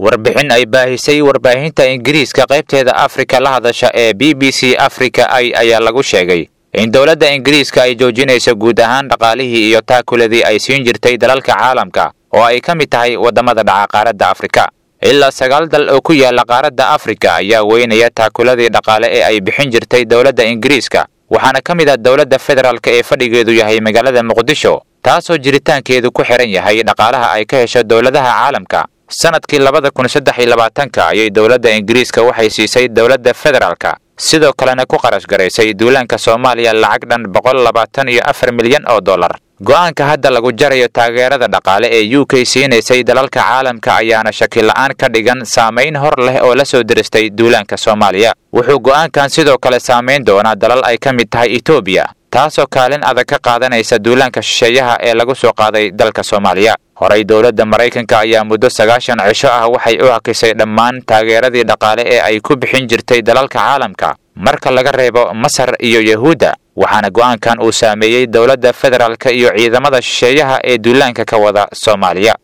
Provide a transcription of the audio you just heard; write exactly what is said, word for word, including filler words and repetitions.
Warbixin ay baahisay warbaahinta Ingiriiska qaybteeda Afrika la hadasha ee B B C Africa ay ayaa lagu sheegay in dowladda Ingiriiska ay joojinayso guud ahaan dhaqaalihii iyo taakuladii ay siin jirtay dalalka caalamka oo ay ka mid tahay waddamada dhaca qaaradda Afrika. Ilaa sagaal dal oo ku yaala qaaradda Afrika ayaa weynaya taakuladii dhaqaale ee ay bixin jirtay dowladda Ingiriiska, waxaana ka mid ah dowladda federaalka ee fadhigeedu yahay magaalada Muqdisho, taasoo jiritaankeedu ku xiran yahay dhaqaalaha ay ka hesho dowladaha caalamka. Sanadkii labada kun saddex iyo labaatanka ayay dowladda Ingiriiska waxay siisay dowladda federaalka, sidoo kalena ku qarash garaysay duulaanka Soomaaliya lacag dhan boqol labaatan iyo afar milyan oo dollar. Go'aanka hadda lagu jarayo taageerada dhaqaale ee U K siinaysay dalalka caalamka ayaana shaki la'aan ka dhigan saamayn hor leh oo la soo diristay duulaanka Soomaaliya. Wuxuu go'aankan sidoo kale saamayn doonaa dalal ay ka mid tahay Itoobiya, taasoo kaalin adag ka qaadanaysa duulaanka shisheeyaha ee lagu soo qaaday dalka Soomaaliya. Horey dowladda Maraykanka ayaa muddo sagaashan cisho ah waxay u hakisay dhammaan taageeradii dhaqaale ee ay ku bixin jirtay dalalka caalamka marka laga reebo Masar iyo Yahuudda, waxaana go'aankan uu saameeyey dowladda federaalka iyo ciidamada shisheeyaha ee duulaanka ka wada Soomaaliya.